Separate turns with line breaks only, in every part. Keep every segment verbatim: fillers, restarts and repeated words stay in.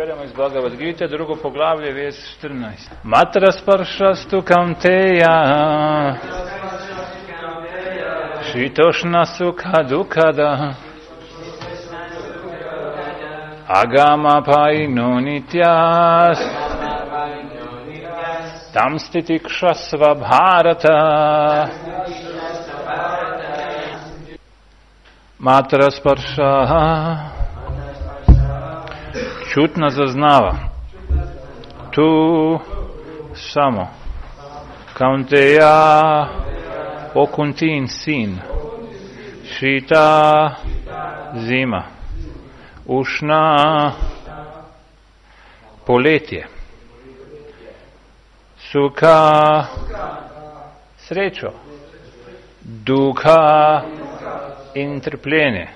Beremo iz Bhagavad Gita, drugo poglavlje, vez štrnaest. Matra sparšastu kaunteja, šitošna sukha dukada, agama paino nityas, tam stitikshasva bharata. Matra sparša čutno zaznava. Tu samo. Kaunteja, o Kuntin sin. Šita, zima. Ušna, poletje. Suka, srečo. Duha in trpljenje.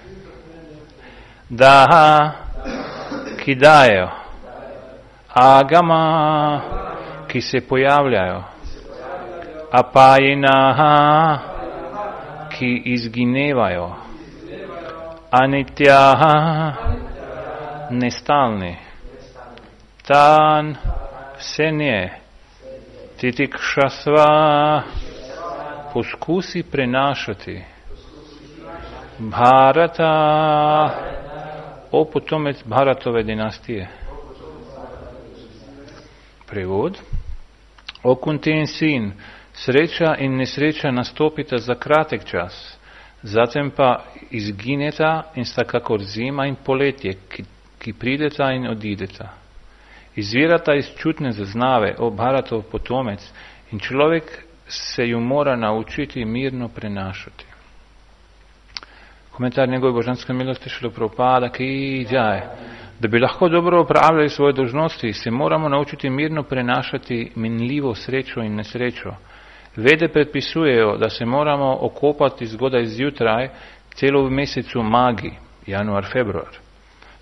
Daha, ki dajejo. Agama, ki se pojavljajo. Apajina, ki izginevajo. Anitya, nestalni. Tan, vse nje. Titikshasva, poskusi prenašati. Bharata, o potomec Bharatove dinastije. Prevod. O Kuntin sin, sreča in nesreča nastopita za kratek čas, zatem pa izgineta in sta kakor zima in poletje, ki, ki prideta in odideta. Izvirata iz čutne zaznave, o Bharatov potomec, in človek se ju mora naučiti mirno prenašati. Komentar njegove božanske milosti Šrila Prabhupada, ki džaj. Da bi lahko dobro upravljali svoje dolžnosti, se moramo naučiti mirno prenašati minljivo srečo in nesrečo. Vede predpisujejo, da se moramo okopati zgodaj zjutraj celo v mesecu Magi, januar, februar.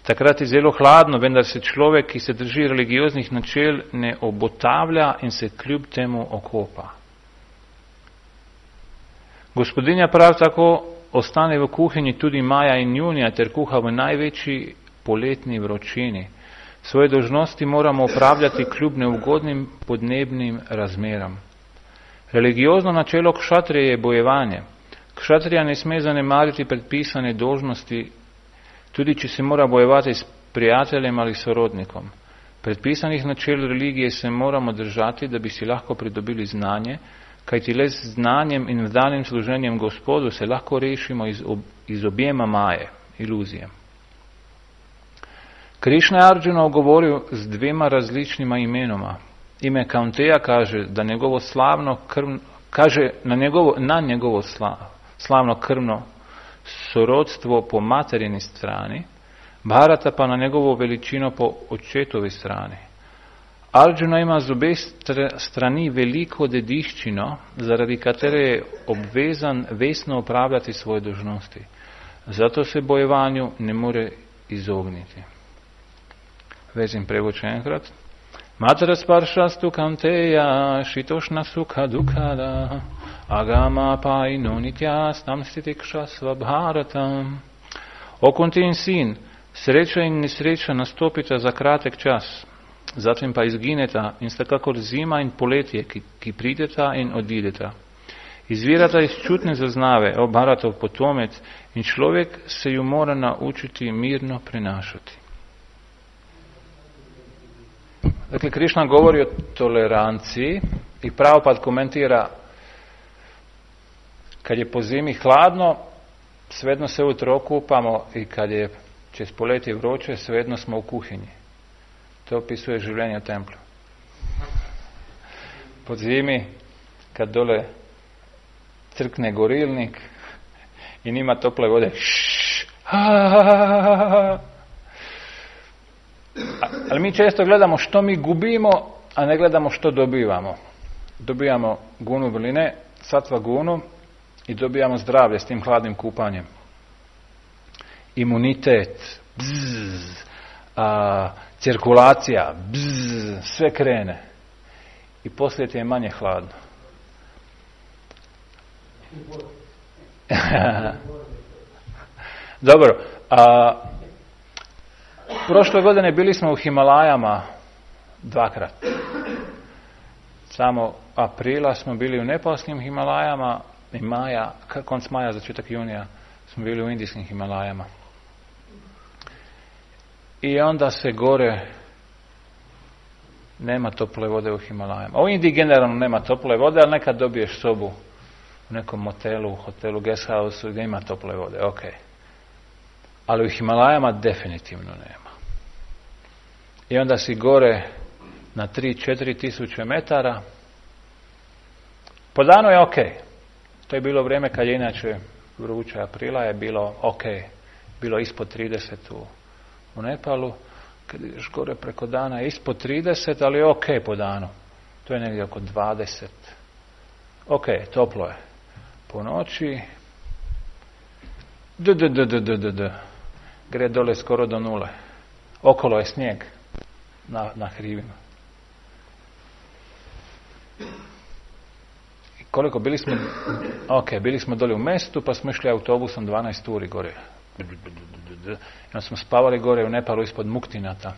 Takrat je zelo hladno, vendar se človek, ki se drži religioznih načel, ne obotavlja in se kljub temu okopa. Gospodinja prav tako ostane v kuhinji tudi maja in junija ter kuha v največji poletni vročini. Svoje dolžnosti moramo opravljati kljub neugodnim podnebnim razmeram. Religiozno načelo kšatrije je bojevanje. Kšatrija ne sme zanemariti predpisane dolžnosti, tudi če se mora bojevati s prijateljem ali sorodnikom. Predpisanih načel religije se moramo držati, da bi si lahko pridobili znanje, kajti le z znanjem in vdanim služenjem Gospodu se lahko rešimo iz, ob, iz objema maje, iluzije. Krišna je Arjuna ogovoril z dvema različnima imenoma. Ime Kaunteja kaže, da njegovo slavno krvno, kaže na njegovo, na njegovo sla, slavno krvno sorodstvo po materini strani, Bharata pa na njegovo veličino po očetovi strani. Arjuna ima z obe strani veliko dediščino, zaradi katere je obvezan vestno upravljati svoje dolžnosti. Zato se bojevanju ne more izogniti. Vezim prevod še enkrat. Matra sparšastu kaunteja, šitošna sukha dukada, agama paino nityas, tam stitikshasva bharatam. O Kuntin sin, sreča in nesreča nastopita za kratek čas, zatem pa izgineta in sta kakor zima in poletje, ki, ki prideta in odideta. Izvirata iz čutne zaznave, o Bharatov potomec, in človek se ju mora naučiti mirno prenašati. Dakle, Krišna govori o toleranciji i Prabhupada komentira, kad je po zimi hladno, svejedno se ujutro okupamo, i kad je čez poletje vroče, svejedno smo u kuhinji. To opisuje življenje u templju. Po zimi, kad dole crkne gorilnik i nima tople vode, šš, ha, ha, ha, ha. Ali mi često gledamo što mi gubimo, a ne gledamo što dobivamo. Dobijamo gunu vrline, satva gunu, i dobijamo zdravlje s tim hladnim kupanjem. Imunitet, bzz, a, cirkulacija, bzz, sve krene. I poslije ti je manje hladno. Dobro, a, Prošle godine bili smo u Himalajama dvakrat. Samo aprila smo bili u nepalskim Himalajama i maja, konc maja, začetak junija smo bili u indijskim Himalajama. I onda se gore nema tople vode u Himalajama. U Indiji generalno nema tople vode, ali nekad dobiješ sobu u nekom motelu, hotelu, guest house gdje ima tople vode, ok. Ali u Himalajama definitivno nema. I onda si gore na tri do četiri tisuće metara. Po danu je ok. To je bilo vrijeme kad je inače vruće, aprila je bilo ok. Bilo ispod trideset u, u Nepalu. Kad ideš gore preko dana je ispod trideset, ali je ok po danu. To je negdje oko dvadeset. Ok, toplo je. Po noći d, d, d, d, d, d, d. Gre dole skoro do nule. Okolo je snijeg na, na hrivima. I koliko bili smo, ok, bili smo dole u mestu, pa smo išli autobusom dvanaest uri gore. I onda smo spavali gore u Nepalu ispod Muktinata.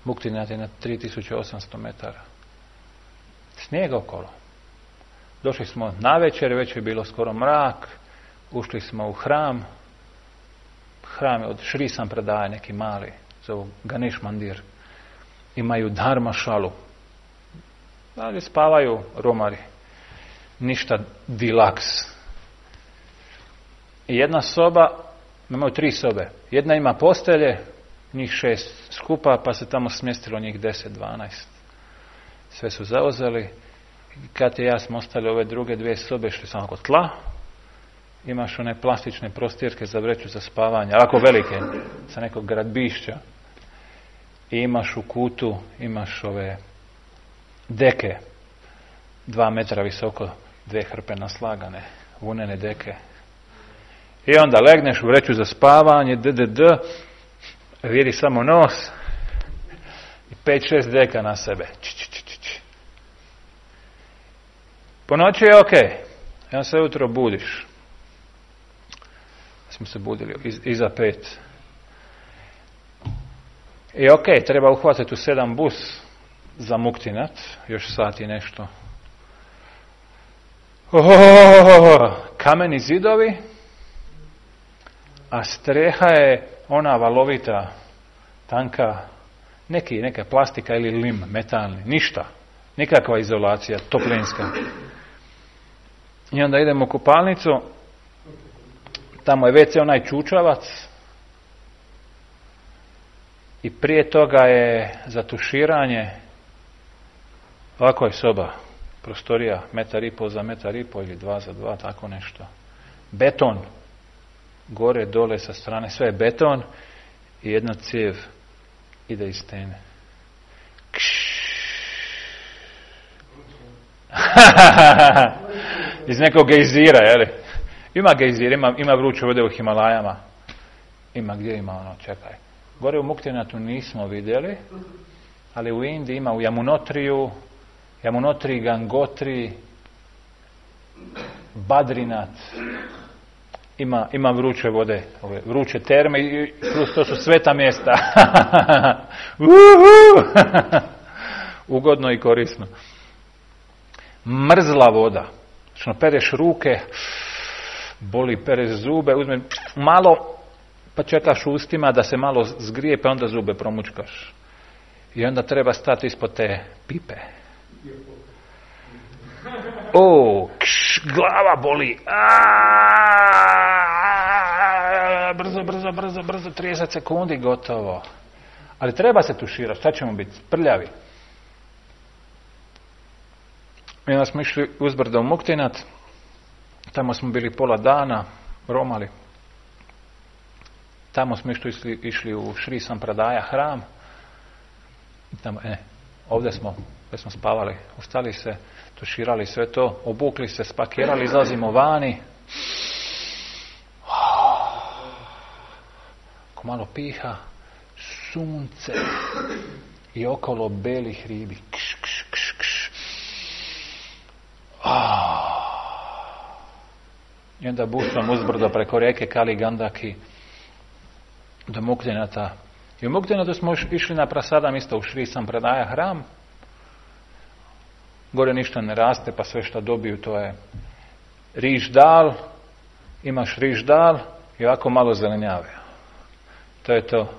Muktinat je na tri tisuće osamsto metara. Snijeg okolo. Došli smo navečer, već je bilo skoro mrak. Ušli smo u hram. Hram je od Šri Sampradaja, neki mali, zovu Ganesh Mandir. Imaju dharma šalu. Ali spavaju romari. Ništa dilaks. I jedna soba, imaju tri sobe. Jedna ima postelje, njih šest skupa, pa se tamo smjestilo njih deset, dvanaest. Sve su zauzeli. Kad je ja smo ostali ove druge dvije sobe, šli samo oko tla. Imaš one plastične prostirke za vreću za spavanje, ovako velike, sa nekog gradbišća. I imaš u kutu, imaš ove deke, dva metra visoko, dve hrpe naslagane, vunene deke. I onda legneš u vreću za spavanje, d, d, d, vidi samo nos i pet, šest deka na sebe. Č, č, č, č. Po noći je ok, ja se ujutro budiš. Smo se budili iz, iza pet. I ok, treba uhvatiti u sedam bus za Muktinat, još sat i nešto. Oh, kameni zidovi, a streha je ona valovita, tanka, neki, neka plastika ili lim, metalni, ništa. Nikakva izolacija, toplinska. I onda idemo u kupalnicu, tamo je ve ce onaj čučavac i prije toga je za tuširanje, ovako je soba, prostorija, metar i pol za metar i pol ili dva za dva, tako nešto. Beton, gore, dole, sa strane, sve je beton i jedna cijev ide iz stene. Iz nekog gejzira, jeli? Ima gejzir, ima, ima vruće vode u Himalajama. Ima gdje ima ono, čekaj. Gore u Muktinatu nismo vidjeli, ali u Indiji ima u Yamunotriju, Yamunotri, Gangotri, Badrinat. Ima, ima vruće vode, ove vruće terme i plus to su sveta mjesta. Ugodno i korisno. Mrzla voda. Što pereš ruke, boli, pereš zube, uzme malo, pa čekaš ustima da se malo zgrije, pa onda zube promučkaš. I onda treba stati ispod te pipe. O, kš, glava boli. Aaaa, brzo, brzo, brzo, brzo, trideset sekundi, gotovo. Ali treba se tuširati, šta ćemo biti? Prljavi. I onda smo išli uzbrdo u Muktinat, tamo smo bili pola dana, romali. Tamo smo išli, išli, išli u Šri Sampradaja hram. Tamo, e, ovdje smo, ovdje smo spavali, ustali se, tuširali sve to, obukli se, spakirali, izlazimo vani. Ako malo piha, sunce i okolo beli hribi. Kš, kš, kš, kš. I onda busom uzbrdo preko rijeke Kali Gandaki do Muktinata. I u Muktinatu smo išli na prasadam isto u Šri Sampradaja hram. Gore ništa ne raste, pa sve što dobiju to je riž dal, imaš riž dal i ovako malo zelenjave. To je to.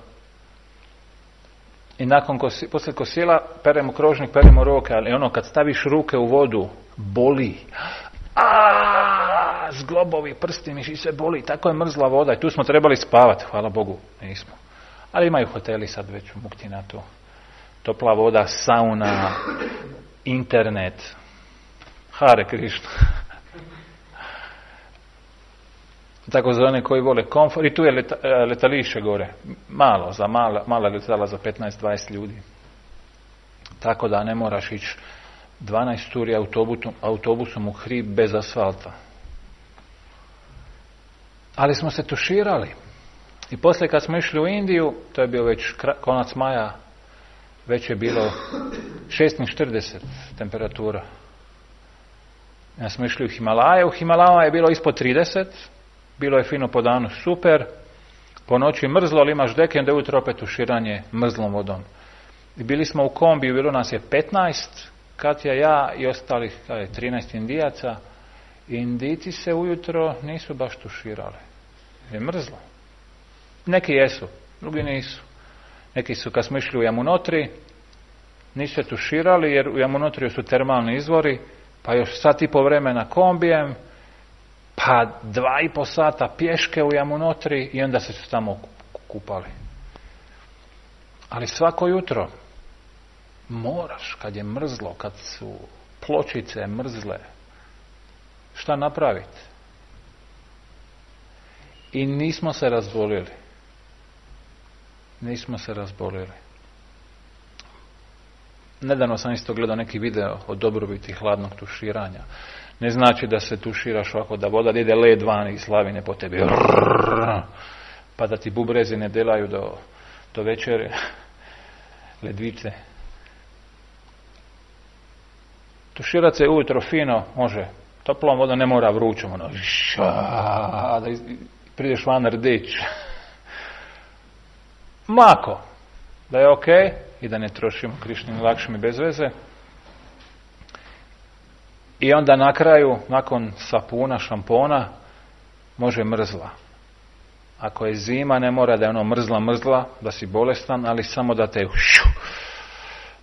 I nakon kosi, poslije kosila peremo krožnik, peremo ruke, ali ono kad staviš ruke u vodu, boli. A zglobovi, prsti, miši, sve boli. Tako je mrzla voda i tu smo trebali spavati, hvala Bogu, nismo. Ali imaju hoteli sad već u Muktinatu. Topla voda, sauna, internet. Hare Krišna. Tako za one koji vole komfort. I tu je leta, letalište gore. Malo, za mala, mala letala za petnaest dvadeset ljudi. Tako da ne moraš ići dvanaest turi autobusom, autobusom u hrib bez asfalta. Ali smo se tuširali. I poslije kad smo išli u Indiju, to je bio već konac maja, već je bilo šest četrdeset temperatura. Ja smo išli u Himalaje, u Himalajama je bilo ispod trideset, bilo je fino po danu super, po noći mrzlo, ali imaš deke, onda je ujutro opet tuširanje mrzlom vodom. I bili smo u kombiju, bilo nas je petnaest, Katja, ja i ostalih kaj, trinaest Indijaca. I Indijci se ujutro nisu baš tuširali. Je mrzlo. Neki jesu, drugi nisu. Neki su, kad smo išli u Yamunotri, nisu se tuširali, jer u Yamunotriju su termalni izvori, pa još sat i po vremena kombijem, pa dva i po sata pješke u Yamunotri i onda se su tamo kupali. Ali svako jutro moraš, kad je mrzlo, kad su pločice mrzle, šta napraviti? I nismo se razbolili. Nismo se razbolili. Nedavno sam isto gledao neki video o dobrobiti hladnog tuširanja. Ne znači da se tuširaš ovako, da voda ide led van i slavine po tebi. Pa da ti bubrezi ne delaju do, do večere. Ledvice. Tuširat se ujutro fino, može. Toplom vodom, ne mora vrućom. Ono, ša, da iz, prideš van rdić. Mako. Da je ok i da ne trošimo Krišnim lakšim i bez veze. I onda na kraju, nakon sapuna, šampona, može mrzla. Ako je zima, ne mora da je ono mrzla, mrzla, da si bolestan, ali samo da te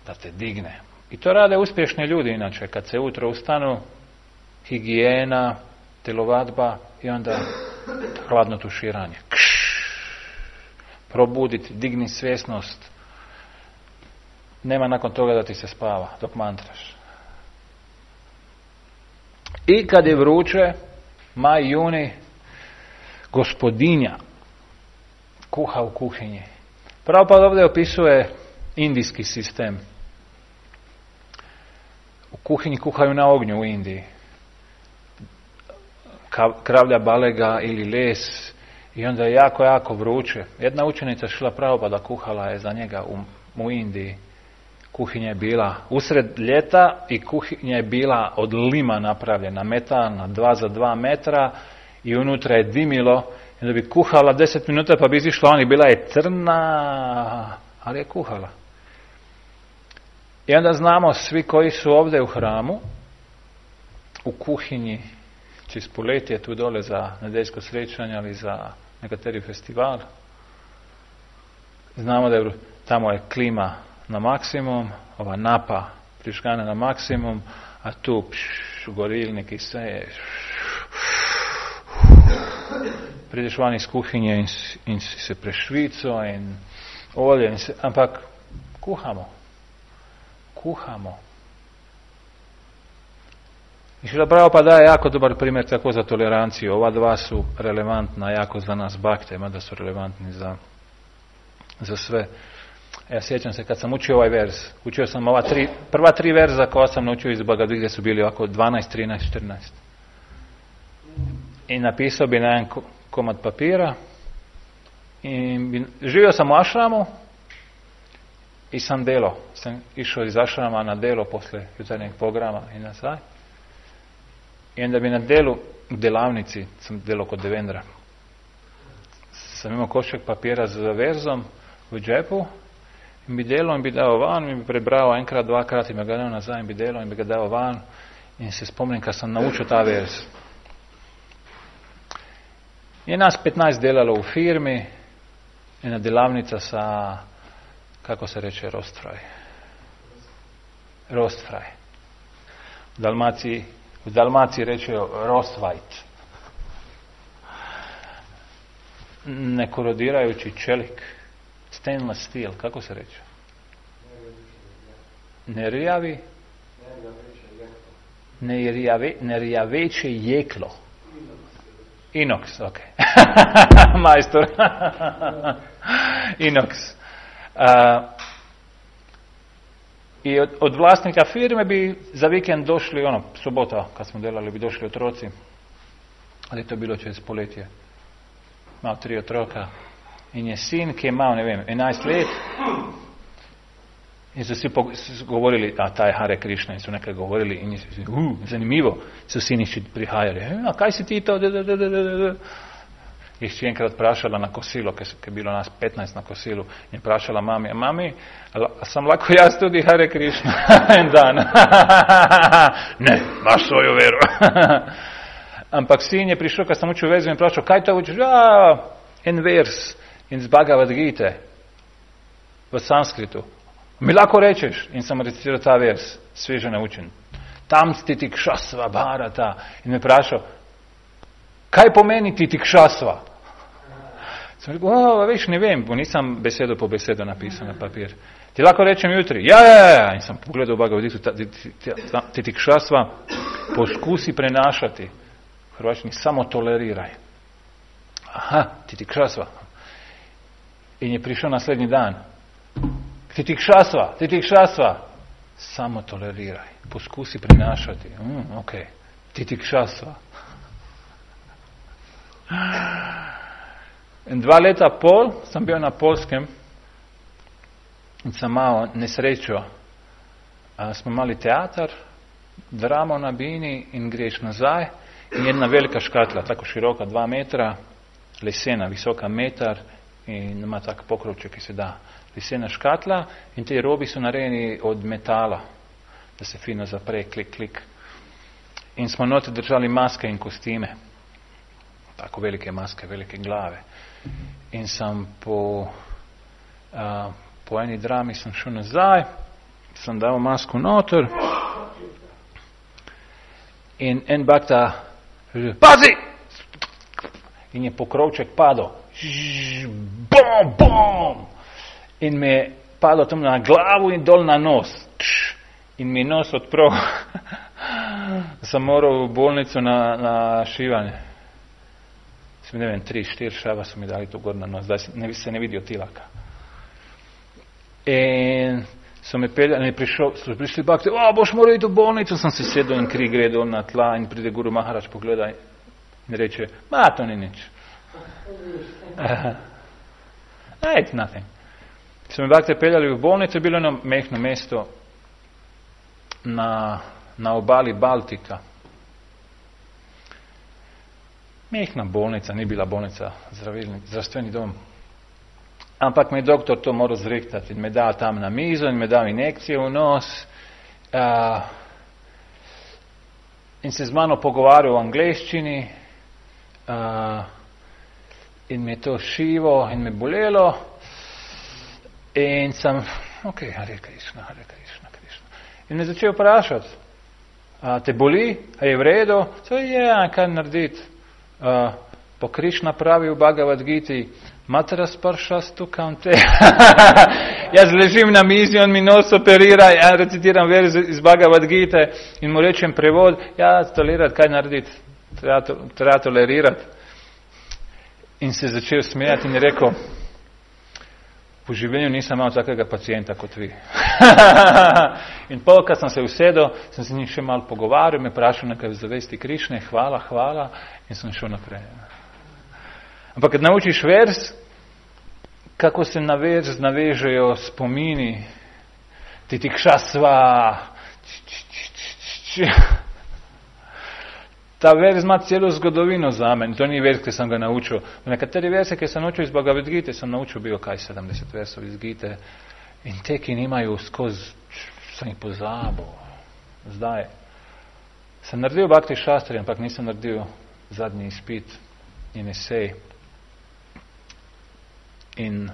da te digne. I to rade uspješni ljudi inače. Kad se ujutro ustanu, higijena, telovadba i onda hladno tuširanje. Kš, probuditi, digni svjesnost. Nema nakon toga da ti se spava dok mantraš. I kad je vruće, maj, juni, gospodinja kuha u kuhinji. Prabhupada ovdje opisuje indijski sistem. U kuhinji kuhaju na ognju u Indiji. Kravlja balega ili les i onda je jako, jako vruće. Jedna učenica Šrila Prabhupada kuhala je za njega u, u Indiji. Kuhinja je bila usred ljeta i kuhinja je bila od lima napravljena, metalna, dva za dva metra i unutra je dimilo. I da bi kuhala deset minuta pa bi izišla on i bila je crna, ali je kuhala. I onda znamo svi koji su ovdje u hramu, u kuhinji, Čispuleti je tu dole za nedeljsko srećanje, ali za nekateri festival. Znamo da je, tamo je klima na maksimum, ova napa priškana na maksimum, a tu pš, gorilnik i sve je. Prideš van iz kuhinje in, in si se prešvico in olje, in se, ampak kuhamo. Kuhamo. I Šrila Prabhupada daje jako dobar primjer tako za toleranciju. Ova dva su relevantna jako za nas bakte, mada su relevantni za, za sve. Ja sjećam se kad sam učio ovaj vers, učio sam ova tri, prva tri verza koja sam naučio iz Bhagavad gdje su bili ovako dvanaest, trinaest, četrnaest. I napisao bi na jedan komad papira i bi, živio sam u ašramu i sam delo. Sam išao iz ašrama na delo posle jutarnjeg programa i nazad. I onda bi na delu, u delavnici, sam delo kod Devendra, sam imao koščak papira za verzom v džepu in bi delal in bi dal van in bi prebral enkrat, dvakrat in bi ga dal nazaj in bi delal in bi ga dal van in se spomnim, kad sam naučio ta verz. Je nas petnaest delalo u firmi, jedna delavnica sa, kako se reče, rostfraj. Rostfraj. U Dalmaciji, u Dalmaciji reče rostvajt. Nekorodirajući čelik. Stainless steel, kako se reče? Nerjavi? Nerjave, nerjaveće jeklo. Inox, ok. Majstor. Inox. Uh, I od, od vlasnika firme bi za vikend došli, ono, subota kad smo delali, bi došli otroci. Ali to je bilo čez poletje. Imao tri otroka. In je sin, ki je imao, ne vem, enajst let. In so si govorili, a ta je Hare Krishna, in so nekaj govorili in so si, uh, zanimivo, so siniči prihajali. A kaj si ti to? Jih si enkrat vprašala na kosilo, ker je bilo nas petnaest na kosilu, in vprašala mami, a mami, a sam lahko jaz tudi Hare Krishna en dan? Ne, imaš svojo vero. Ampak sin je prišel, kad sam učil vezu in vprašal, kaj to učiš? A, en vers iz Bhagavad Gite v sanskritu. Mi lahko rečeš, in sem recitiral ta vers, sveže naučen. Tam titikšasva bharata. In me vprašal, kaj pomeni titikšasva? Sem rekel, o, veš, ne vem, bo nisem besedo po besedo napisal na papir. Ti lahko rečem jutri, ja, ja, ja, in sem pogledal v Bhagavad Gitu, titikšasva, poskusi prenašati. V hrvačini samo toleriraj. Aha, titikšasva. In je prišel naslednji dan. Titikšasva, titikšasva. Samo toleriraj. Poskusi prenašati. Mm, ok. Titikšasva. In dva leta pol sem bil na Polskem in sem imel nesrečo. A, smo imeli teater, dramo na bini in greš nazaj in jedna velika škatla, tako široka, dva metra, lesena, visoka metar in ima tak pokrovček, ki se da. Lesena škatla in te robi so narejeni od metala, da se fino zapre, klik, klik. In smo noter držali maske in kostime. Tako velike maske, velike glave. In sem po, uh, po eni drami sem šel nazaj, sem dal masku noter in en bakta pazi! In je pokrovček padel. Bom, bom! In me je padlo tam na glavu in dol na nos. In mi je nos odprl. Sem moral v bolnico na, na šivanje. Sem, ne vem, tri, štiri šava so mi dali to gor na nos. Zdaj se ne, se ne vidijo tilaka. In so me peljali, in prišel, so prišli bakti, o, boš moral iti v bolnico. Sem se sedel in kri gre dol na tla in pride Guru Maharač, pogleda in reče, ma, to ni nič. It's nothing. So me bakte peljali v bolnico, je bilo eno mehno mesto na, na obali Baltika. Mehna bolnica, ni bila bolnica, zdravilni, zdravstveni dom. Ampak me je doktor to moral zrihtati in me dal tam na mizo in me dal injekcijo v nos uh, in se z mano pogovarjal v angleščini uh, in me je to šivo in me bolelo in sem, ok, Hare Krishna, Hare Krishna, Krishna. In me začel vprašati, a te boli, a je v redu? So je, ja, kaj narediti? Uh, po Krishna pravi v Bhagavad Giti, Matara spršastu kaunte. Jaz ležim na mizi, on mi nos operira, ja recitiram verz iz Bhagavad Gite in mu rečem prevod, ja, tolerirati, kaj narediti? Treba, to, treba tolerirati. In se začel smejati in je rekel, po življenju nisem imel takega pacijenta kot vi. In pol, kad sem se usedel, sem se njim še malo pogovarjal, me vprašal nekaj v zavesti Krišne, hvala, hvala, in sem šel naprej. Ampak, kad naučiš verz, kako se na verz navežejo spomini, titikšasva, ta vers ima celo zgodovino za mene. To ni vers, ki sem ga naučil. Nekateri verse, ki sem naučil iz Bhagavad Gite, sem naučil bil kaj sedemdeset versov iz Gite. In te, ki nimajo skozi, sem jih pozabil. Zdaj. Sem naredil Bhakti Šastri, ampak nisem naredil zadnji izpit in esej. In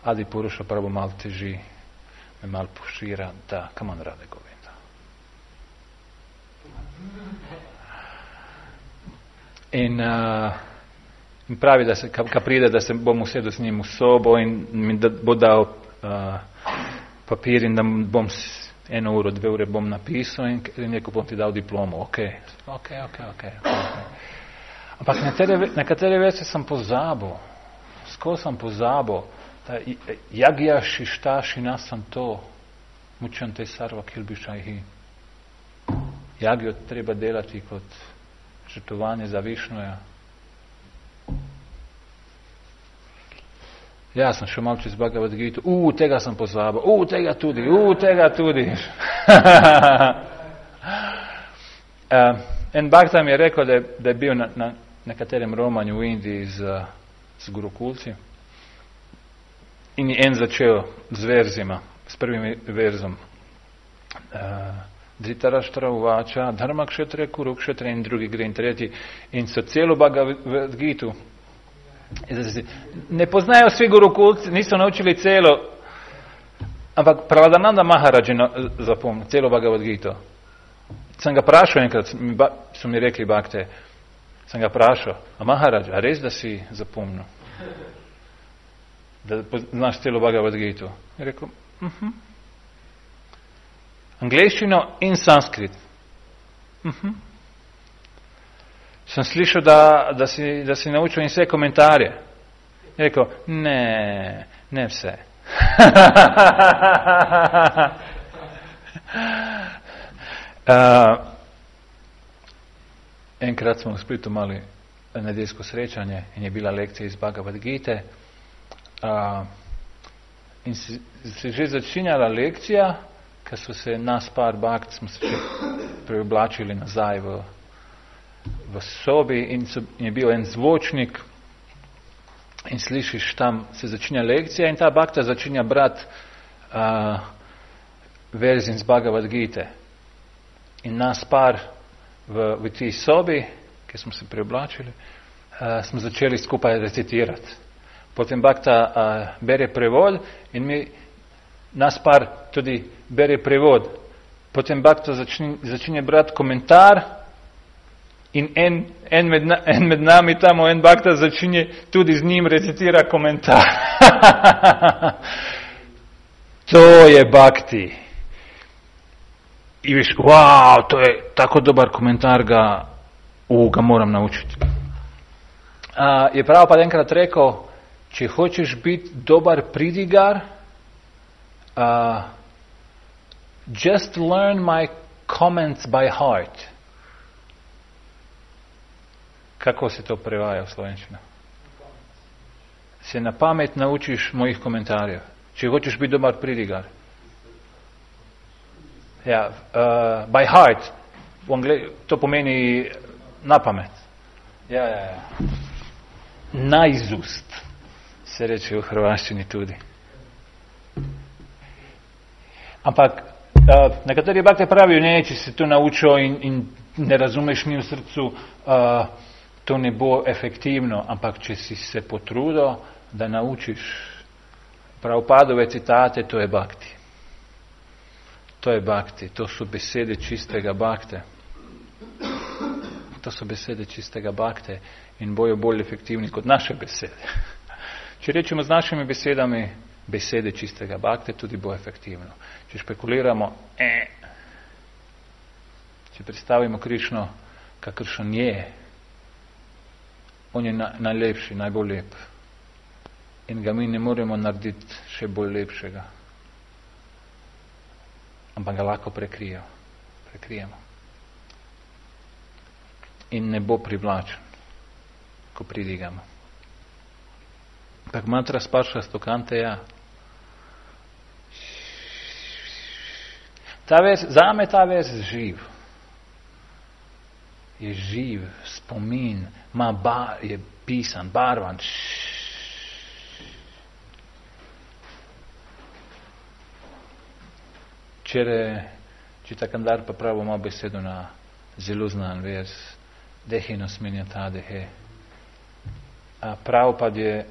Adi Puruša pravo malo teži, me malo pošira, da, come on, Radhe Govinda. In, uh, in pravi, da se, ka, ka pride, da se bom usedel s njim v sobo in mi da, bo dal uh, papir in da bom eno uro, dve ure bom napisal in, in neko bom ti dal diplomo. Ok, ok, ok, ok. okay. Ampak nekatere, nekatere vese sem pozabil. Skoro sem pozabil. Jagya Shishta Shinasanto Mučante Sarva Kilbišajhi. Jagyo treba delati kot žrtvovanje za Višnuja. Ja, sem šel malo čez Bhagavad Gita. U, tega sem pozabil. U, tega tudi. U, tega tudi. uh, en bhakta mi je rekel, da je, da je bil na, na nekaterem romanju v Indiji z, z gurukulci. In je en začel z verzima, s prvim verzom. Uh, Dhritarashtra uvača, dharma kshetre, kuru kshetre in drugi gre in tretji. In so celo Bhagavad Gitu. Ne poznajo svi gurukulci, niso naučili celo, ampak Praladananda Maharaj je zapomnil celo Bhagavad Gito. Sem ga prašal enkrat, so mi rekli bakte, sem ga prašal, a Maharaj, a res, da si zapomnil? Da znaš celo Bhagavad Gito? Je rekel, uh-huh. Angleščino in sanskrit. Uh-huh. Sem slišal, da, da, si, da si naučil in vse komentarje. Je rekel, ne, ne vse. uh, enkrat smo v Splitu imeli nedeljsko srečanje in je bila lekcija iz Bhagavad Gite. Uh, in se, se že začinjala lekcija, ker so se nas par bhakt, smo se še preoblačili nazaj v v sobi in, so, in je bil en zvočnik in slišiš, tam se začinja lekcija in ta bhakta začinja brat uh, verzin z Bhagavad Gite. In nas par v, v tej sobi, ki smo se preoblačili, uh, smo začeli skupaj recitirati. Potem bhakta uh, bere prevod in mi, nas par tudi bere prevod. Potem bhakta začinja, začinja brat komentar. In en, en, med na, en med nami tamo, en bhakta začinje tudi z njim recitira komentar. To je bhakti. I viš, wow, to je tako dobar komentar, ga, uh, ga moram naučiti. Uh, je prav pa enkrat rekel, če hočeš biti dobar pridigar, uh, just learn my comments by heart. Kako se to prevaja v slovenščino? Se na pamet naučiš mojih komentarjev. Če hočeš biti dobar pridigar. Ja, uh, by heart. V Angle- to pomeni na pamet. Ja, ja, ja. Naizust se reče v hrvaščini tudi. Ampak uh, nekateri bhakti pravijo, ne, če si to naučil in, in ne razumeš mi v srcu, uh, to ne bo efektivno, ampak če si se potrudil, da naučiš Prabhupadove citate, to je bhakti. To je bhakti, to so besede čistega bhakte. To so besede čistega bhakte in bojo bolj efektivni kot naše besede. Če rečemo z našimi besedami besede čistega bhakte, tudi bo efektivno. Če špekuliramo, eh, če predstavimo Krišno, kakršen je, on je na, najlepši, najbolj lep. In ga mi ne moremo narediti še bolj lepšega. Ampak ga lahko prekrijo. prekrijemo. In ne bo privlačen, ko pridigamo. Tak mantra spaša stokante ja. Ta vers, zame ta vers živ. je živ, spomin, ma bar, je pisan, barvan. Včeraj, če takam dar pa pravo ima besedo na zelo znan vers, dehe no smenja ta dehe. A prav pa je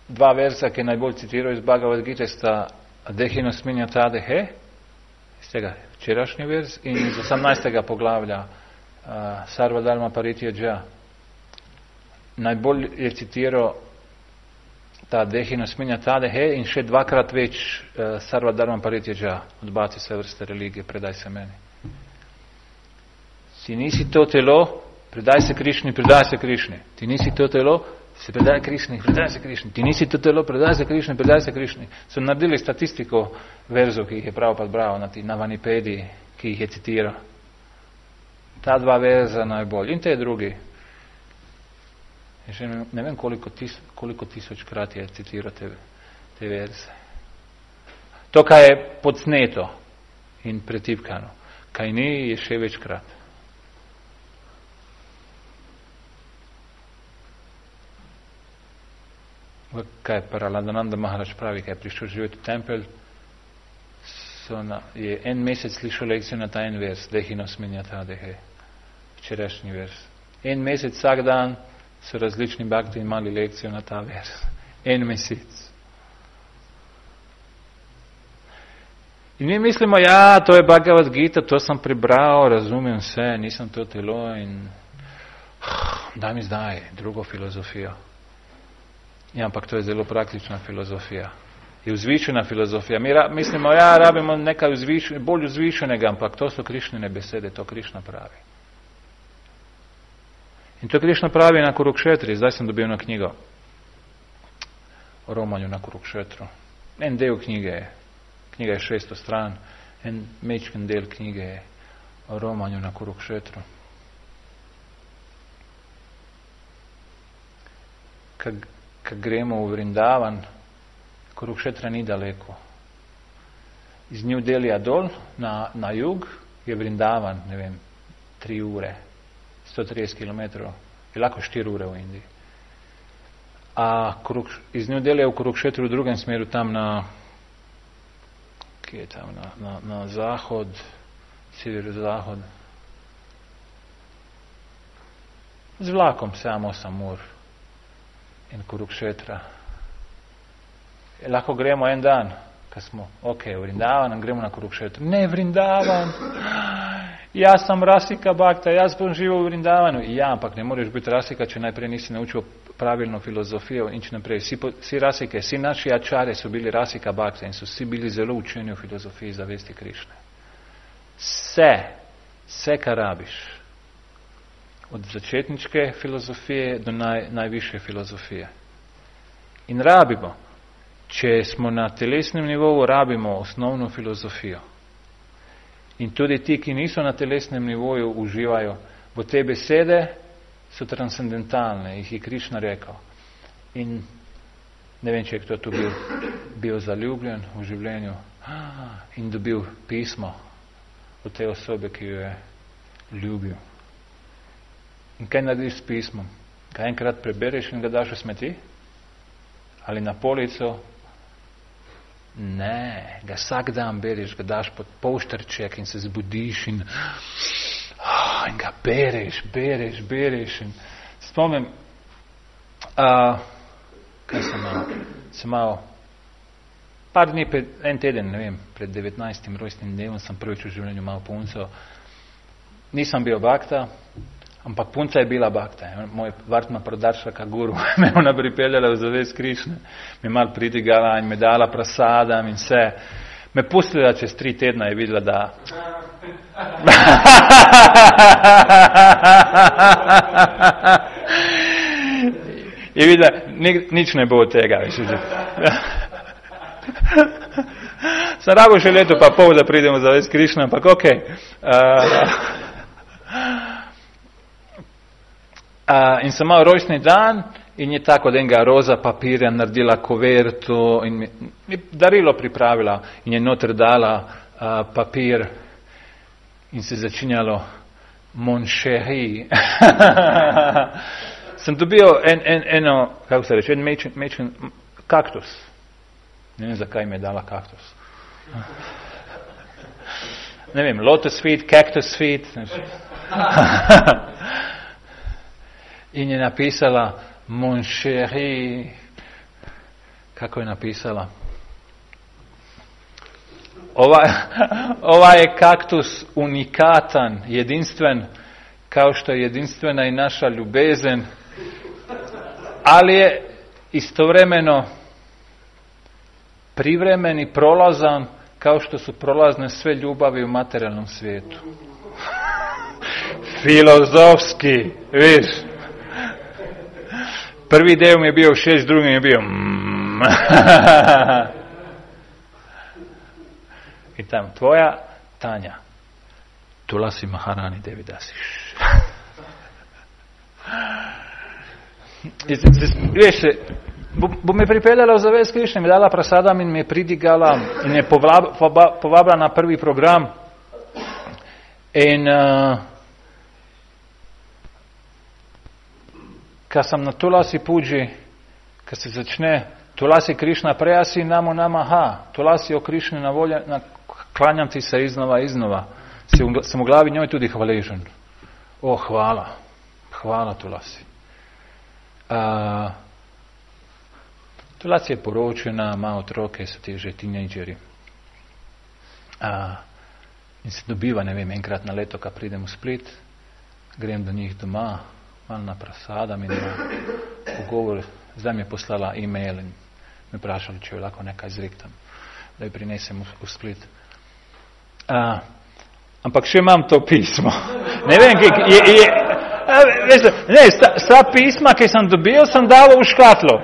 dva versa, ki najbolj citirajo iz Bhagavad Gite, sta dehe no smenja ta dehe, iz tega včerašnji vers, in iz osemnajstega poglavlja uh, Sarva Dharma Paritya Dža. Najbolj je citiral ta dehe no smenja ta dehe in še dvakrat več uh, Sarva Dharma Paritya Dža, odbaci se vrste religije, predaj se meni. Si nisi to telo, predaj se Krišni, predaj se Krišni. Ti nisi to telo, se predaj Krišni, predaj se Krišni. Ti nisi to telo, predaj se Krišni, predaj se Krišni. So naredili statistiko verzov, ki jih je prav pa bral na, na Vanipediji, ki jih je citiral. Ta dva verza najbolj. In te drugi. Še ne, ne vem, koliko, tis, koliko tisočkrat je citiral te, te verze. To, kaj je podsneto in pretipkano. Kaj ni, je še večkrat. Kaj Paraladananda Maharaj pravi, kaj je prišel živeti v tempelj, na, je en mesec slišal lekcijo na ta en vers, dehi no smenja ta dehe, včerajšnji vers. En mesec, vsak dan so različni bhakti imali lekcijo na ta vers. En mesec. In mi mislimo, ja, to je Bhagavad Gita, to sem prebral, razumem vse, nisem to telo in daj mi zdaj drugo filozofijo. Ja, ampak to je zelo praktična filozofija. Je vzvišena filozofija. Mi ra, mislimo, ja, rabimo nekaj vzviš, bolj vzvišenega, ampak to so Krišnine besede, to Krišna pravi. In to Krišna pravi na Kurukšetri, zdaj sem dobil na knjigo o romanju na Kurukšetru. En del knjige je, knjiga je šeststo stran, en mečken del knjige je o romanju na Kurukšetru. Kak Ko gremo v Vrindavan, Kurukšetra ni daleko. Iz New Delhija dol, na, na jug, je Vrindavan, ne vem, tri ure, sto trideset kilometrov, je lahko štiri ure v Indiji. A Kuruk, iz New Delhija v Kurukšetru v drugem smeru, tam na, kje je tam, na, na, na zahod, sever-zahod, z vlakom samo osem ur. In Kurukšetra. Lahko gremo en dan, ko smo, ok, v Vrindavan, gremo na Kurukšetru. Ne, Vrindavan! Jaz sem Rasika Bhakta, jaz bom živel v Vrindavanu. Ja, ampak ne moreš biti Rasika, če najprej nisi naučil pravilno filozofijo in če naprej. Vsi, vsi Rasike, vsi naši ačare so bili Rasika Bhakta in so vsi bili zelo učeni v filozofiji zavesti Krišne. Vse, vse, kar rabiš. Od začetničke filozofije do naj, najvišje filozofije. In rabimo, če smo na telesnem nivoju, rabimo osnovno filozofijo. In tudi ti, ki niso na telesnem nivoju, uživajo, bo te besede so transcendentalne, jih je Krišna rekel. In ne vem, če je kdo tu bil, bil zaljubljen v življenju in dobil pismo od te osobe, ki jo je ljubil. In kaj narediš s pismom? Kaj enkrat prebereš in ga daš v smeti? Ali na polico? Ne, ga vsak dan bereš, ga daš pod polštrček in se zbudiš in, oh, in ga bereš, bereš, bereš. In spomnim, uh, kaj sem malo, sem malo, par dni, pred, en teden, ne vem, pred devetnajstim rojstnim dnevom sem prvič v življenju malo punco. Nisem bil bhakta, ampak punca je bila bhakta. Moj Vartma Pradaršaka guru me ona pripeljala v zavest Krišne. Me mal pridigala in me dala prasadam in vse. Me pustila čez tri tedna je videla, da... je videla, nič ne bo od tega. Sem rabo še leto pa pol, da pridemo v zavest Krišne, ampak okej. Okay. Uh, Uh, in sem imel rojstni dan in je tako od enega roza papirja naredila koverto in mi, mi darilo pripravila in je noter dala uh, papir in se začinjalo mon chéri. Sam dobio en, en, eno, kako se reče, en mečen, mečen kaktus. Ne vem, zakaj mi je dala kaktus. Ne vem, lotus feet, cactus feet. In je napisala, mon chéri, kako je napisala? Ovaj, ovaj je kaktus unikatan, jedinstven, kao što je jedinstvena i naša ljubezen, ali je istovremeno privremen i prolazan, kao što su prolazne sve ljubavi u materijalnom svijetu. Filozofski, viš. Prvi dio mi je bio šest, drugi mi je bio mm. I tamo, tvoja Tanja, Tulasi Maharani Devidasiš. Veš, bo, bo me pripeljala v zavest Krišne, mi dala prasadam in me pridigala in me povab, povabila na prvi program. In uh, kad sam na Tulasi Puji, kad se začne Tulasi Krišna prejasi namo namaha, Tulasi o Krišni na volja, na, klanjam ti se iznova, iznova, sem v glavi njoj tudi hvaležen. O, hvala, hvala Tulasi. Uh, Tulasi je poročena, ima otroke, so ti že tinejdžeri. Uh, in se dobiva, ne vem, enkrat na leto, kad pridem v Split, grem do njih doma, malo na prasadam in na pogovor. Zdaj mi je poslala e-mail in me vprašala, če jo lahko nekaj zriktam, da jo prinesem v, v Split. Uh, ampak še imam to pismo. Ne vem, je, je, je, veste, ne, sta, sta pisma, ki sem dobil, sem dal v škatlo.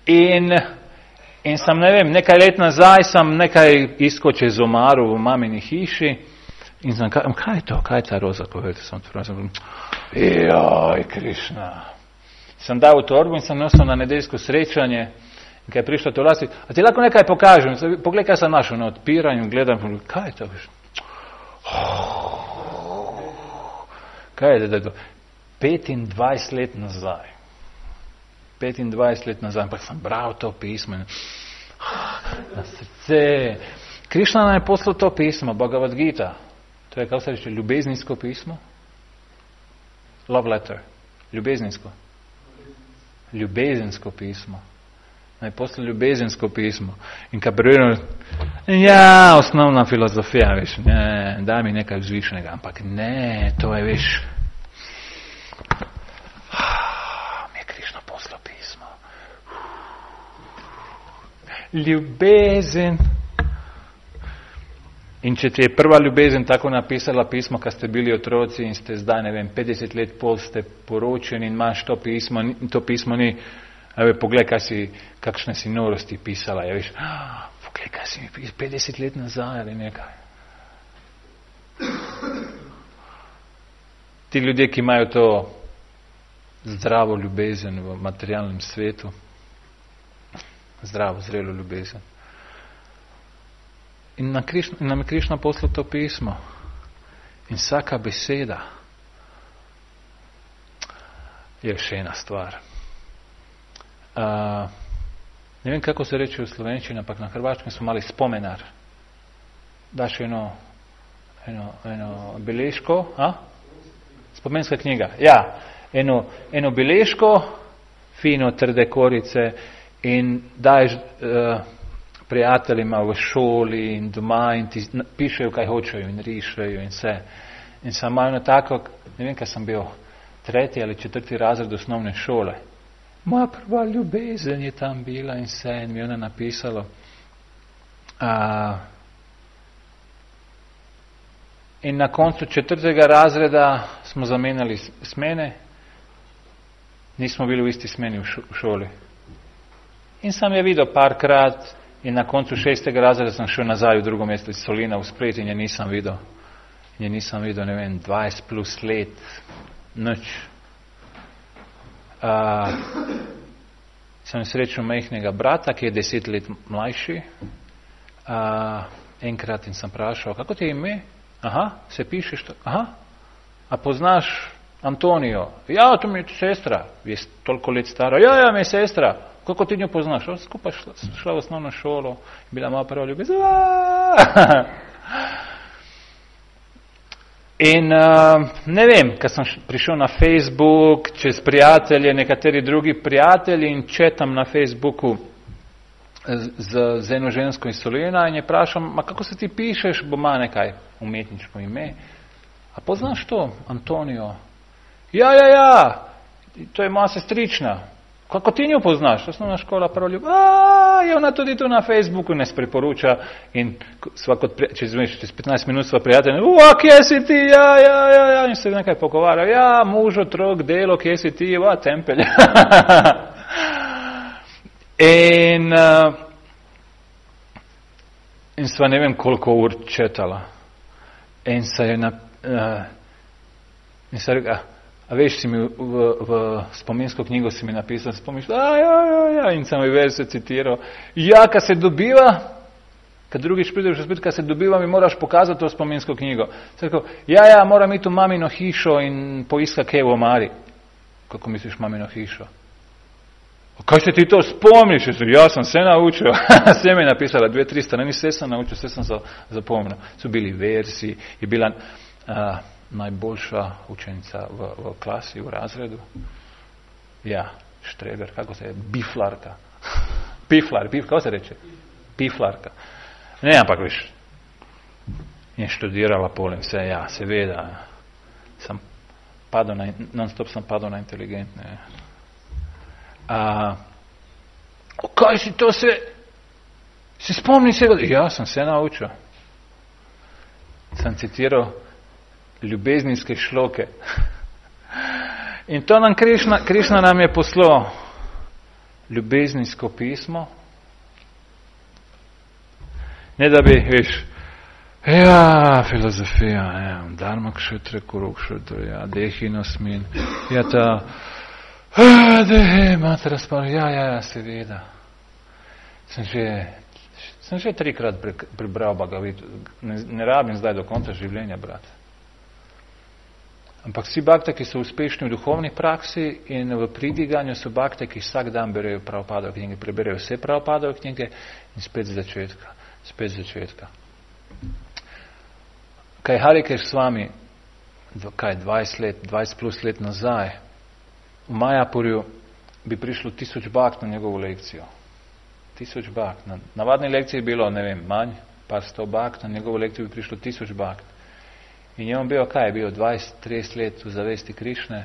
In, in sem, ne vem, nekaj let nazaj sem nekaj iskal čez omaru v mamini hiši in sem, kaj, kaj je to, kaj je ta roza, povedal sem to, sem, joj, Krišna. Sem dal v torbu in sem nosil na nedeljsko srečanje in kaj je prišla to vlasti, a ti lahko nekaj pokažem, pogled, kaj sem našel na odpiranju, gledam, kaj je to, veš? Kaj je to? petindvajset let nazaj. petindvajset let nazaj, ampak sem bral to pismo in na srce. Krišna nam je poslal to pismo, Bhagavad Gita. To je, kako se reče, ljubezninsko pismo? Love letter. Ljubezninsko. Ljubezensko pismo. Naj posle ljubezensko pismo. In kad preverjamo, ja, osnovna filozofija, veš, ne, daj mi nekaj vzvišnega, ampak ne, to je, veš, mi je Krišna poslal pismo. Ljubezen. In če ti je prva ljubezen tako napisala pismo, kad ste bili otroci in ste zdaj, ne vem, petdeset let pol ste poročeni in imaš to pismo, to pismo ni, ave, pogled, kaj si, kakšne si norosti pisala, ja, veš, ah, pogled, kaj si mi pisala, petdeset let nazaj ali nekaj. Ti ljudje, ki imajo to zdravo ljubezen v materialnem svetu, zdravo, zrelo ljubezen. In nam je Krišna poslal to pismo. In vsaka beseda je še ena stvar. Uh, ne vem, kako se reče v slovenščini, ampak na hrvaškem smo mali spomenar. Daš eno, eno, eno beležko, a? Spomenska knjiga. Ja, eno, eno beležko, fino, trde korice in daješ uh, prijateljima v šoli in doma in ti pišejo, kaj hočejo in rišejo in vse. In sem malo tako, ne vem, kaj sem bil, tretji ali četrti razred osnovne šole. Moja prva ljubezen je tam bila in vse in mi je ona napisalo. Uh, in na koncu četrtega razreda smo zamenjali smene, nismo bili v isti smeni v šoli. In sem je videl parkrat in na koncu šestega razreda sem šel nazaj v drugo mesto iz Solina v Split in je nisem videl. In je nisem videl, ne vem, dvajset plus let, nič. Uh, sem srečal majhnega brata, ki je deset let mlajši. Uh, enkrat in sem vprašal, kako ti je ime? Aha, se pišeš to? Aha, a poznaš Antonijo? Ja, to mi je sestra, je toliko let stara. Ja, ja, mi je sestra. Kako ti njo poznaš? O, skupaj šla, šla v osnovno šolo, bila malo prva ljubezen. In uh, ne vem, kad sem prišel na Facebook, čez prijatelje, nekateri drugi prijatelji in četam na Facebooku z, z, z eno žensko iz Solena in je vprašam, ma kako se ti pišeš, bo ima nekaj umetniško ime. A poznaš to, Antonijo? Ja, ja, ja, to je moja sestrična. Kako ti njo poznaš? Osnovna škola, prva ljubezen. A, je ona tudi tu na Facebooku, nas preporuča in svako, čez, čez petnajst minut sva prijatelja, ua, kje si ti, ja, ja, ja, ja, in se nekaj pogovarja, ja, muž, otrok, delo, kje si ti, ua, tempelj. in, uh, in sva ne vem koliko ur četala. In se je na, uh, in se reka, a veš, si mi v, v, v spominsko knjigo si mi napisal, spomniš, a ja, ja, ja, in sem mi več se citiral, ja, kad se dobiva, kad drugič prideš spet, kad se dobiva, mi moraš pokazati to spominsko knjigo. Rekel, ja, ja, moram iti v mamino hišo in poiska kaj v omari. Kako misliš mamino hišo? Kaj se ti to spomniš? Ja, sem se naučil. Vse mi je napisala, dve, tri strani, vse sem naučil, vse sem zapomnil. So bili versi, je bila uh, najboljša učenica v, v klasi, v razredu. Ja, štreber, kako se je, biflarka. Piflar, pif, kako se reče? Piflarka. Ne, ampak veš, je študirala polem vse, ja, seveda. Sem padel na, non-stop sem padel na inteligentne. A, kaj si to se, si spomni se, ja, sem se naučil. Sem citiral ljubezninske šloke. In to nam Krišna, Krišna nam je poslal ljubezninsko pismo. Ne da bi, veš, ja, filozofija, ja, dharma kshetra, kurukshetra, ja, dehinosmin, ja, ta, a, dehe, matra spar, ja, ja, ja, seveda. Sem že, sem že trikrat pre, prebral Bhagavad, ne, ne rabim zdaj do konca življenja, brat. Ampak vsi bakte, ki so uspešni v duhovni praksi in v pridiganju, so bakte, ki vsak dan berejo Prabhupadove knjige, preberejo vse Prabhupadove knjige in spet z začetka, spet z začetka. Kaj Harikeš s vami, kaj dvajset let, dvajset plus let nazaj, v Majapurju bi prišlo tisoč bakt na njegovo lekcijo. Tisoč bakt. Na navadni lekciji je bilo, ne vem, manj, par sto bakt, na njegovo lekcijo bi prišlo tisoč bakt. In je on bil, kaj je bil, dvajset trideset let v zavesti Krišne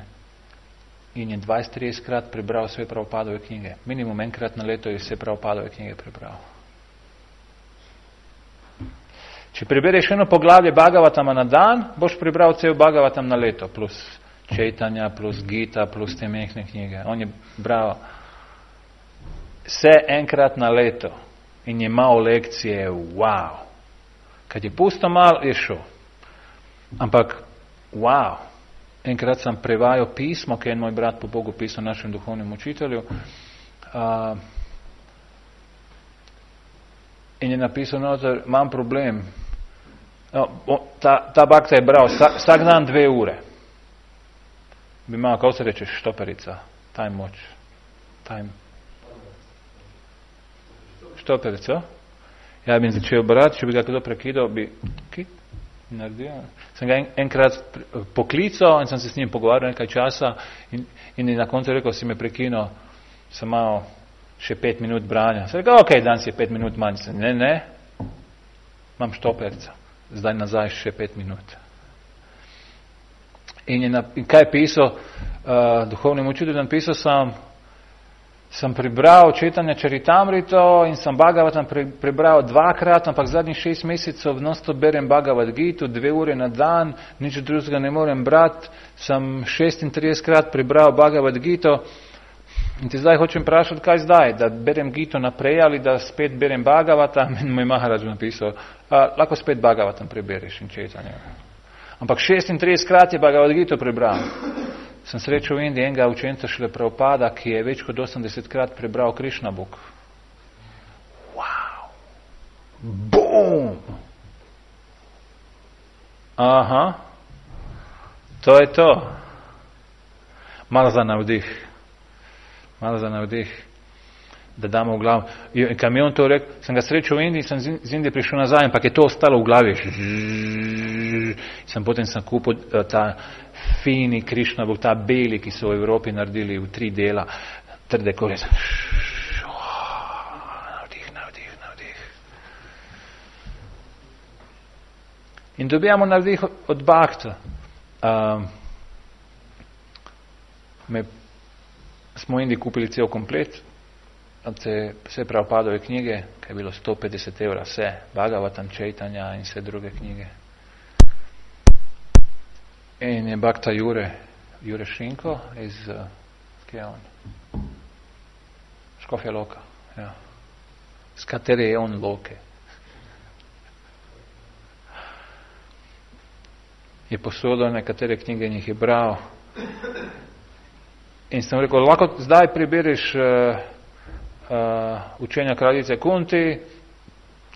in je dvajset trideset krat prebral vse Prabhupadove knjige. Minimum enkrat na leto je vse Prabhupadove knjige prebral. Če prebereš eno poglavje Bhagavatama na dan, boš prebral cel Bhagavatam na leto, plus Čejtanja, plus Gita, plus te mehne knjige. On je bral vse enkrat na leto in je imel lekcije, wow. Kad je pusto mal, je šel. Ampak, wow, enkrat sem prevajal pismo, ki je moj brat po Bogu pisal našem duhovnem učitelju, uh, in je napisal noter, imam problem. No, ta, ta bakta je bral vsak, vsak dan dve ure. Bi imel, kako se reče, štoperica, time watch, time. Štoperico? Ja bi začel brati, če bi ga kdo prekidal, bi, ki? Naredil. Sem ga en, enkrat poklical in sem se s njim pogovarjal nekaj časa in, in na koncu rekel, si me prekinil, sem malo še pet minut branja. Sem rekel, ok, danes je pet minut manj. Sem, ne, ne, imam štoperca, zdaj nazaj še pet minut. In, je na, in kaj je pisal, uh, duhovnim učiteljem napisal sem, sem prebral Četanja Čaritamrito in sem Bhagavatam pre, prebral dvakrat, ampak zadnjih šest mesecev non-stop berem Bhagavad Gitu, dve ure na dan, nič drugega ne morem brati, sem šestintrideset krat prebral Bhagavad Gitu in ti zdaj hočem vprašati, kaj zdaj, da berem Gitu naprej ali da spet berem Bhagavatam in moj Maharaj napisal, a, lahko spet Bhagavatam prebereš in Četanja. Ampak šestintrideset krat je Bhagavad Gitu prebral. Sem srečal v Indiji enega učenca šele Prabhupada, ki je več kot osemdeset krat prebral Krishna Book. Wow! Boom! Aha, to je to. Malo za navdih. Malo za navdih. Da damo v glavu. In kad mi on to rekel, sem ga srečal v Indiji, sem z Indije prišel nazaj, ampak je to ostalo v glavi. Sem potem sem kupil ta fini Krišna, ta beli, ki so v Evropi naredili v tri dela, trde kore. Navdih, navdih, navdih. In dobijamo navdih od Bhakta. Um, me, smo v Indiji kupili cel komplet, te vse Prabhupadove knjige, kaj je bilo sto petdeset evra, vse, Bhagavatam, Chaitanya in vse druge knjige. In je Bhakta Jure, Jure Šinko iz, kje je on? Škofja Loka, ja. Z katere je on Loke. Je posodil nekatere knjige in jih je bral. In sem rekel, lahko zdaj prebereš uh, uh, učenja kraljice Kunti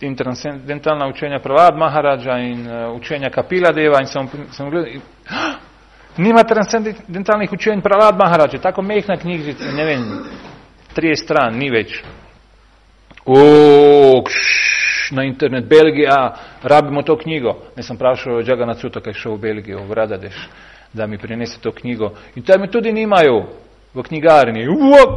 in transcendentalna učenja Prahlad Maharaja in uh, učenja Kapila Deva in sem, sem gledal, in, ah, nima transcendentalnih učenj Prahlad Maharaja, tako mehna knjižica, ne vem, tri stran, ni več. O, kš, na internet, Belgija, rabimo to knjigo. Ne sem prašal Jagannatha Sutta, kaj šel v Belgijo, v Radadeš, da mi prinese to knjigo. In tam mi tudi nimajo v knjigarni.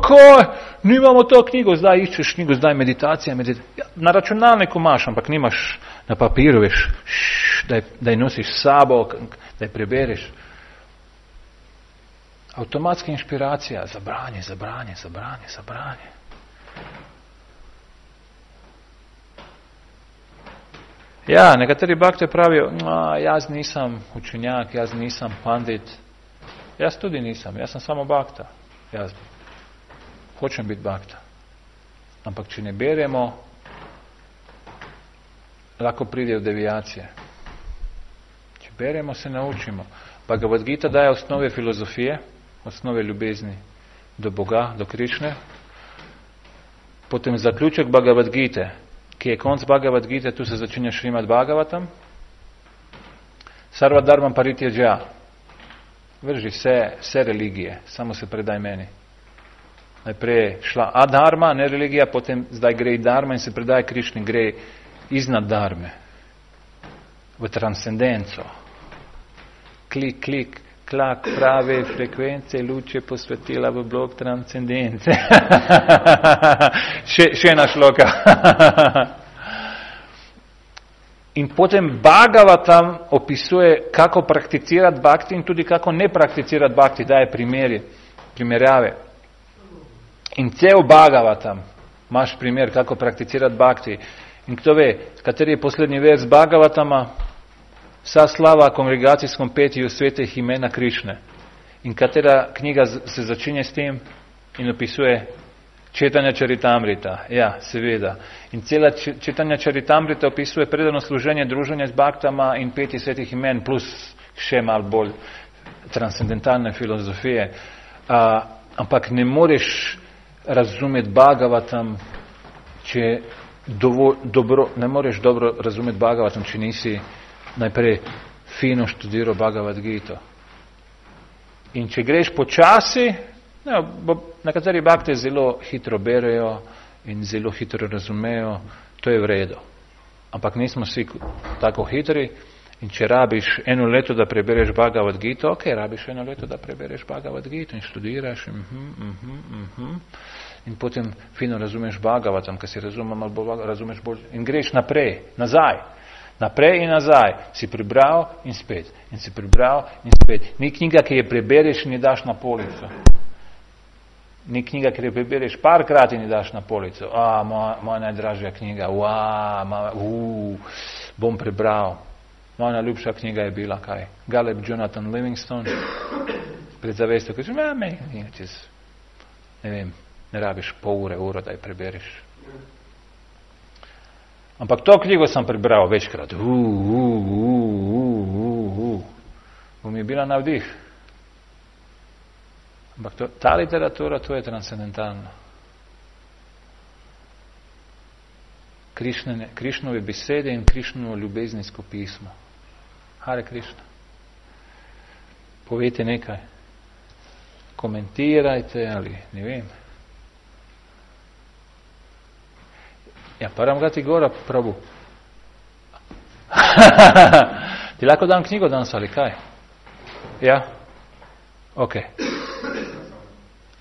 Kaj? Nimamo to knjigo, zdaj iščeš knjigo, zdaj meditacija. meditacija. Ja, na računalniku imaš, ampak nimaš na papiru, veš, da je nosiš s sabo, da je prebereš. Avtomatska inšpiracija, zabranje, zabranje, zabranje, zabranje. Ja, nekateri bhakti pravijo, jaz nisem učenjak, jaz nisem pandit. Jaz tudi nisem, jaz sem samo bhakta. Jaz hočem biti bhakta. Ampak če ne beremo, lahko pride v devijacije. Če beremo, se naučimo. Bhagavad Gita daje osnove filozofije, osnove ljubezni do Boga, do Krišne. Potem zaključek Bhagavad Gite, ki je konc Bhagavad Gite, tu se začenja Šrimad Bhagavatam. Sarva dharmam parityaja. Vrži vse, vse religije, samo se predaj meni. Najprej je šla adharma, ne religija, potem zdaj gre dharma in se predaj Krišni, gre iznad dharme. V transcendenco. Klik, klik, klak, prave frekvence, luče posvetila v blok transcendence. še, še ena šloka. In potem Bhagavatam opisuje, kako prakticirati bhakti in tudi kako ne prakticirati bhakti, daje primeri, primerjave. In cel Bhagavatam imaš primer, kako prakticirati bhakti. In kdo ve, kateri je poslednji vers Bhagavatama? Vsa slava kongregacijskom petju svetih imena Krišne. In katera knjiga se začenja s tem in opisuje Chaitanya Charitamrita. Ja, seveda. In cela Chaitanya Charitamrita opisuje predano služenje, druženje z bhaktama in petje svetih imen, plus še malo bolj transcendentalne filozofije. Uh, ampak ne moreš razumeti Bhagavatam, če dovo, dobro, ne moreš dobro razumeti Bhagavatam, če nisi najprej fino študiral Bhagavad Gito. In če greš počasi, ne, nekateri bhakti zelo hitro berejo in zelo hitro razumejo, to je v redu. Ampak nismo vsi tako hitri in če rabiš eno leto, da prebereš Bhagavad Gito, ok, rabiš eno leto, da prebereš Bhagavad Gito in študiraš in, uh-huh, uh-huh, uh-huh. In potem fino razumeš Bhagavatam, ker si razumem, ali bolj, razumeš bolj in greš naprej, nazaj. Naprej in nazaj. Si prebral in spet. In si prebral in spet. Ni knjiga, ki je prebereš in je daš na polico. Ni knjiga, ki je prebereš parkrat in je daš na polico. A, moja, moja najdražja knjiga. Ua, moja, uu, bom prebral. Moja najljubša knjiga je bila kaj? Galeb Jonathan Livingstone. Pred zavestjo, ki je, me, čez, ne vem, ne rabiš pol ure, uro, da je prebereš. Ampak to knjigo sem prebral večkrat. Uh, uh, uh, uh, uh, uh. Bo mi bila navdih. Ampak to, ta literatura, to je transcendentalno. Krišnove besede in Krišnovo ljubezensko pismo. Hare Krishna. Povejte nekaj. Komentirajte ali ne vem. Ja, param ga ti gora, Prabhu. Ti lahko dam knjigo danes ali kaj? Ja? Ok.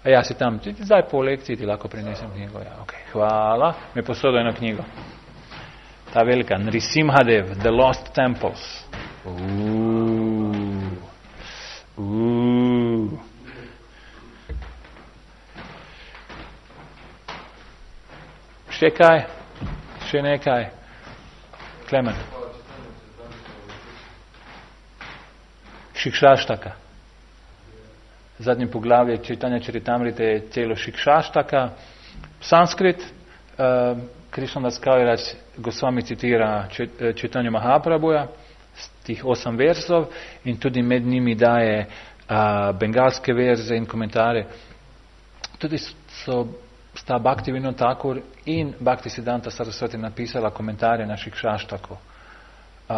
A ja, si tam. Ti, zdaj po lekciji ti lahko prinesem knjigo. Ja, ok. Hvala. Mi posodo eno knjigo. Ta velika. Nrisimhadev, The Lost Temples. Uuu. Uuu. Še kaj? Še nekaj? Klemen. Šikšaštaka. Zadnje poglavje Čitanja Čaritamrite je celo Šikšaštaka. Sanskrit, uh, Krishnadas Kaviraj Goswami citira Čitanje Mahaprabhuja, tih osam verzov in tudi med njimi daje uh, bengalske verze in komentare. Tudi so sta Bhakti Vinod Thakur in Bhakti Siddhanta Saraswati napisala komentarje na Šikšaštako. Uh,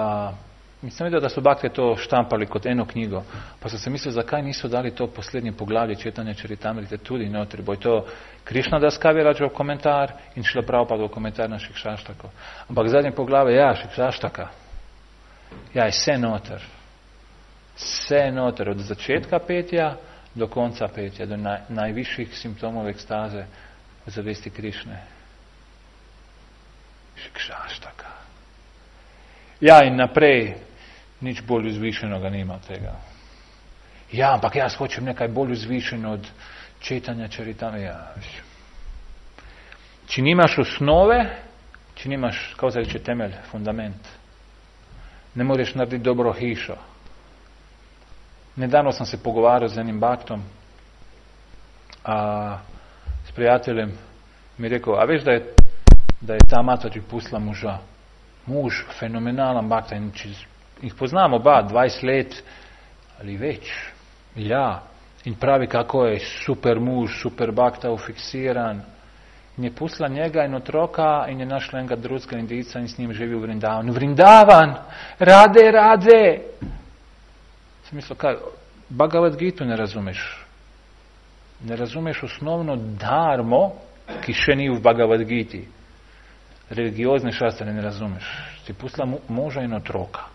Mislim videl, da so Bhakti to štampali kot eno knjigo, pa so se mislili, zakaj niso dali to poslednje poglavje Čitanja Čaritamrite tudi notri, bo je to Krishnadas Kavirajov komentar in Šrila Prabhupadov komentar na Šikšaštako. Ampak zadnje poglavje, ja, Šikšaštaka, ja, je vse noter. Vse noter, od začetka petja do konca petja, do naj, najvišjih simptomov ekstaze v zavesti Krišne. Šikšaštaka. Ja, in naprej, nič bolj vzvišenega nima tega. Ja, ampak jaz hočem nekaj bolj vzvišeno od Čitanja Čaritamrite. Ja. Če nimaš osnove, če nimaš, kako se reče, temelj, fundament, ne moreš narediti dobro hišo. Nedavno sem se pogovarjal z enim baktom, a, s prijateljem, mi je rekel, a veš, da je, da je ta mata ti pustila moža. Muž, fenomenalan bakta, in če jih poznamo oba, dvajset let ali več. Ja, in pravi, kako je super muž, super bakta, ufiksiran. In je pustila njega in otroka in je našla enega drugega Indijca in s njim živi v Vrindavan. Vrindavan! Rade, rade! Sem mislil, kaj, Bhagavad Gitu ne razumeš. Ne razumeš osnovno dharmo, ki še ni v Bhagavad Giti. Religiozne šastre ne razumeš. Si pustila moža in otroka,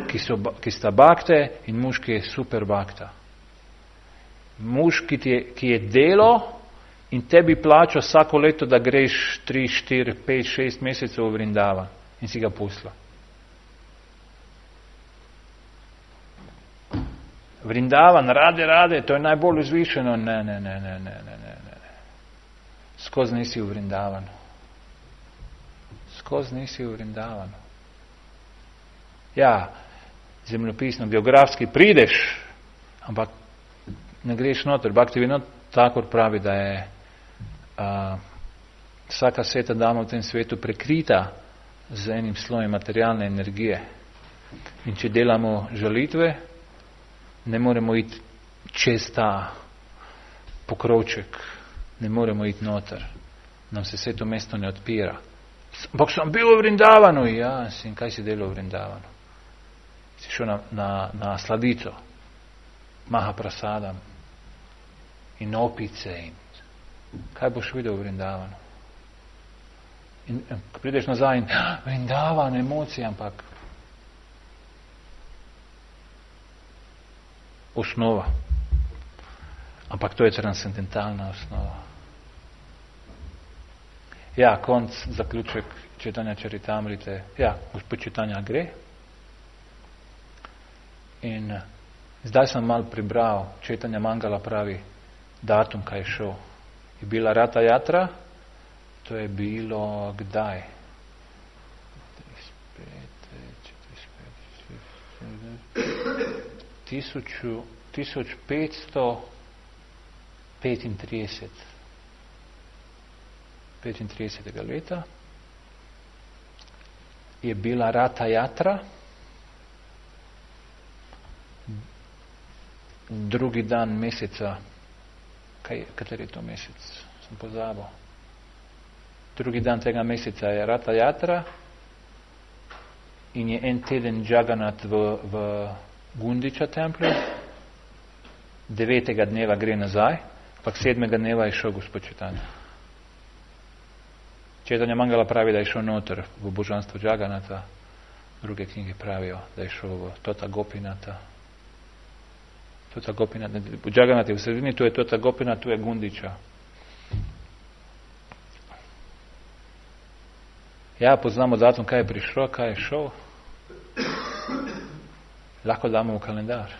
ki, so, ki sta bakte in muž, ki je super bakta. Muž, ki, je, ki je delo in tebi plača vsako leto, da greš tri, štiri, pet, šest mesecev v Vrindavan in si ga pustila. Vrindavan, rade, rade, to je najbolj vzvišeno. Ne, ne, ne, ne, ne, ne, ne. Skozi nisi v Vrindavanu. Skozi nisi v Vrindavanu. Ja, zemljopisno, geografski prideš, ampak ne greš noter. Bhakti Vinod Thakur pravi, da je a, vsaka sveta dama v tem svetu prekrita z enim slojem materialne energije. In če delamo žalitve, ne moremo iti čez ta pokrovček, ne moremo iti noter. Nam se vse to mesto ne odpira. Ampak sem bil v Vrindavanu. Ja, in kaj si delal v Vrindavanu? Si šel na, na, na sladico, Mahaprasadam in opice. In kaj boš videl v Vrindavanu? In ko prideš nazaj in Vrindavan, emocije, ampak osnova. Ampak to je transcendentalna osnova. Ja, konc, zaključek Čitanja Čaritamrite. Ja, gospod čitanja gre. In zdaj sem mal pribral, Čitanja Mangala pravi, datum, kaj je šel. Je bila Rata Jatra, to je bilo kdaj? tisoč petsto petintrideset. petintridesetega leta je bila Rata Jatra, drugi dan meseca, kaj, kateri je to mesec? Sem pozabil. Drugi dan tega meseca je Rata Jatra in je en teden Jagannath v, v Gundiča templju, devetega dneva gre nazaj, pa sedmega dneva je šel Gospod Čitanja. Četanja Mangala pravi, da je šel noter v božanstvo Jagannatha, druge knjige pravijo, da je šel v Tota Gopinata. Tota Gopinata, Jagannath je v sredini, tu je Tota Gopinata, tu je Gundiča. Ja, poznamo datum, kaj je prišlo, kaj je šel. Lahko damo v kalendar.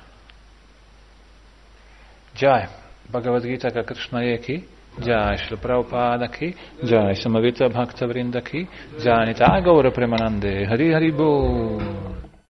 Jai, Bhagavad Gita ka Krishna je ki, Jai Śrīla Prabhupada ki, Jai Samavita Bhakta Vrinda ki, Jai Nitya Gaura Premanande, Hari Hari Bol.